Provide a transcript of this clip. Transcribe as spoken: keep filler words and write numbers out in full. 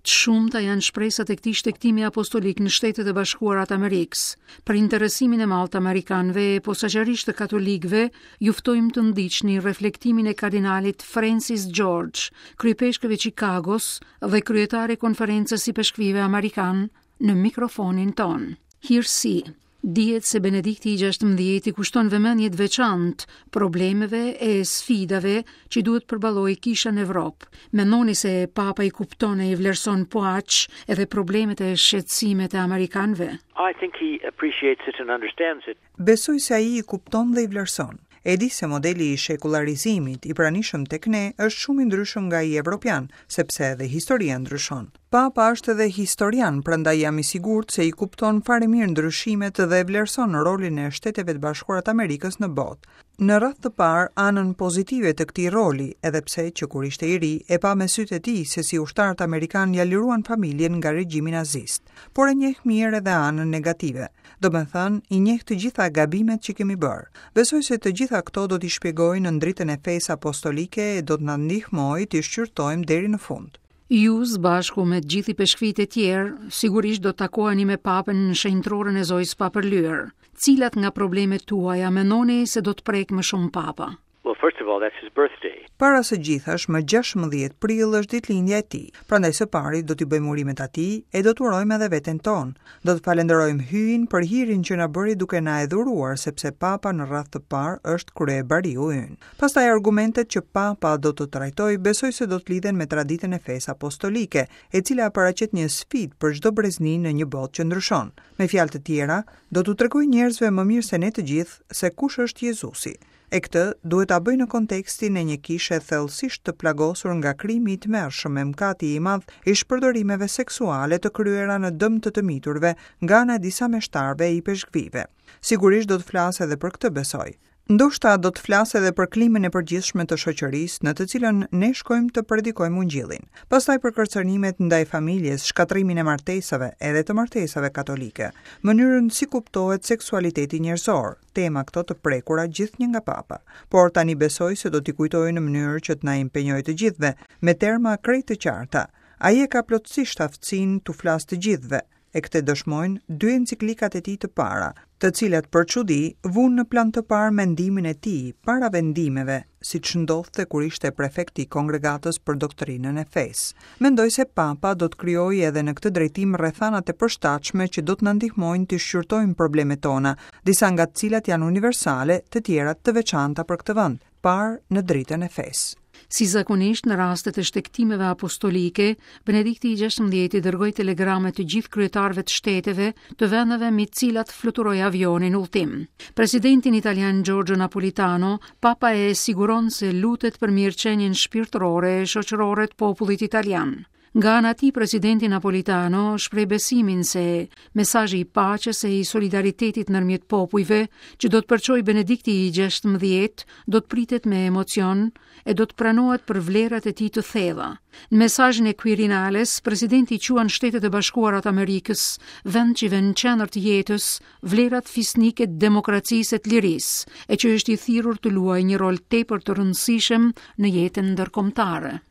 Të shumta janë shpresat e këtij shtegtimi apostolik në Shtetet e Bashkuara të Amerikës. Për interesimin e madh të amerikanëve e posaçërisht të katolikëve, ju ftojmë të ndiqni reflektimin e kardinalit Francis George, kryepeshkëv i Chicagos dhe kryetar i Konferencës së Ipeshkvijve Amerikan në mikrofonin tonë. Hirësi, dihet se Benedikti i gjashtëmbëdhjetë i kushton vëmendje të veçantë problemeve e sfidave që duhet përballojë kisha në Evropë. Mendoni se Papa i kupton e i vlerëson po aq edhe problemet e shqetësimet e amerikanëve? I think he appreciates it and understands it. Besoj se ai i kupton dhe i vlerëson. E di se modeli i shekullarizimit i pranishëm tek ne është shumë i ndryshëm nga ai evropian, sepse edhe historia ndryshon. Papa është edhe historian, prandaj jam i sigurt se i kupton fare mirë ndryshimet dhe vlerëson rolin e Shteteve të Bashkuara të Amerikës në botë. Në radhë të parë, anën pozitive të këtij roli, edhe pse që kur ishte i ri, e pa me sytë e tij se si ushtarët amerikanë ja liruan familjen nga regjimi nazist, por e njeh mirë edhe anën negative. Do me thënë, i njeh të gjitha gabimet që kemi bërë. Besoj se të gjitha këto do t'i shpjegoj në dritën e fesë apostolike e do të na ndihmojë t'i shqyrtojmë deri në fund. Ju, së bashku me të gjithë ipeshkvijtë e tjerë, sigurisht do të takoheni me Papën në shenjtërorën e Zojës Papërlyer. Cilat nga problemet tuaja mendoni se do të prek më shumë Papa? Well, first of all, that's his birthday. Para së gjithash, më gjashtëmbëdhjetë prill është ditëlindja e tij. Prandaj së pari do t'i bëjmë urimet atij e do të urojmë edhe veten tonë. Do të falenderojmë Hyjin për hirin që na bëri duke na e dhuruar, sepse Papa në radhë të parë është kryebariu ynë. Pastaj argumentet që Papa do të trajtojë, besoj se do të lidhen me traditën e fesë apostolike, e cila paraqet një sfidë për çdo brezni në një botë që ndryshon. Me fjalë të tjera, do t'u tregoj njerëzve më mirë se ne të gjithë se kush është Jezusi. E këtë duhet ta bëj në kontekstin e një kishe thellësisht të plagosur nga krimi i tmerrshëm e mëkati i madh i shpërdorimeve seksuale të kryera në dëm të të miturve nga ana e disa meshtarëve e ipeshkvijve. Sigurisht do të flas edhe për këtë, besoj. Ndoshta do të flas edhe për klimën e përgjithshme të shoqërisë në të cilën ne shkojmë të predikojmë ungjillin. Pastaj për kërcënimet ndaj familjes, shkatërrimin e martesave, edhe të martesave katolike, mënyrën si kuptohet seksualiteti njerëzor, tema këto të prekura gjithnjë nga Papa. Por tani besoj se do t'i kujtoj në mënyrë që të na impenjojë të gjithëve me terma krejt të qarta. Ai e ka plotësisht aftësinë t'u flasë të gjithëve, e këtë dëshmojnë dy enciklikat e tij të para, të cilat për çudi vunë në plan të parë mendimin e tij para vendimeve, siç ndodhte kur ishte prefekti i Kongregatës për Doktrinën e Fesë. Mendoj se Papa do të krijojë edhe në këtë drejtim rrethanat e përshtatshme që do të na ndihmojnë të shqyrtojmë problemet tona, disa nga të cilat janë universale, të tjerat të veçanta për këtë vend, parë në dritën e fesë. Si zakonisht në rastet e shtegtimeve apostolike, Benedikti i gjashtëmbëdhjetë i dërgoi telegrame të gjithë kryetarëve të shteteve të vendeve me të cilat fluturoi avioni në udhtim. Presidentin italian Giorgio Napolitano, Papa e siguron se lutet për mirëqenien shpirtërore e shoqërore të popullit italian. Nga ana e tij, presidenti Napolitano shpreh besimin se mesazhi i paqes e i solidaritetit ndërmjet popujve që do të përçojë Benedikti i gjashtëmbëdhjetë do të pritet me emocion e do të pranohet për vlerat e tij të thella. Në mesazhin e Quirinales, presidenti quan Shtetet e Bashkuara të Amerikës vend që vën në qendër të jetës vlerat fisnike të demokracisë e të lirisë, e që është i thirrur të luajë një rol tepër të rëndësishëm në jetën ndërkombëtare.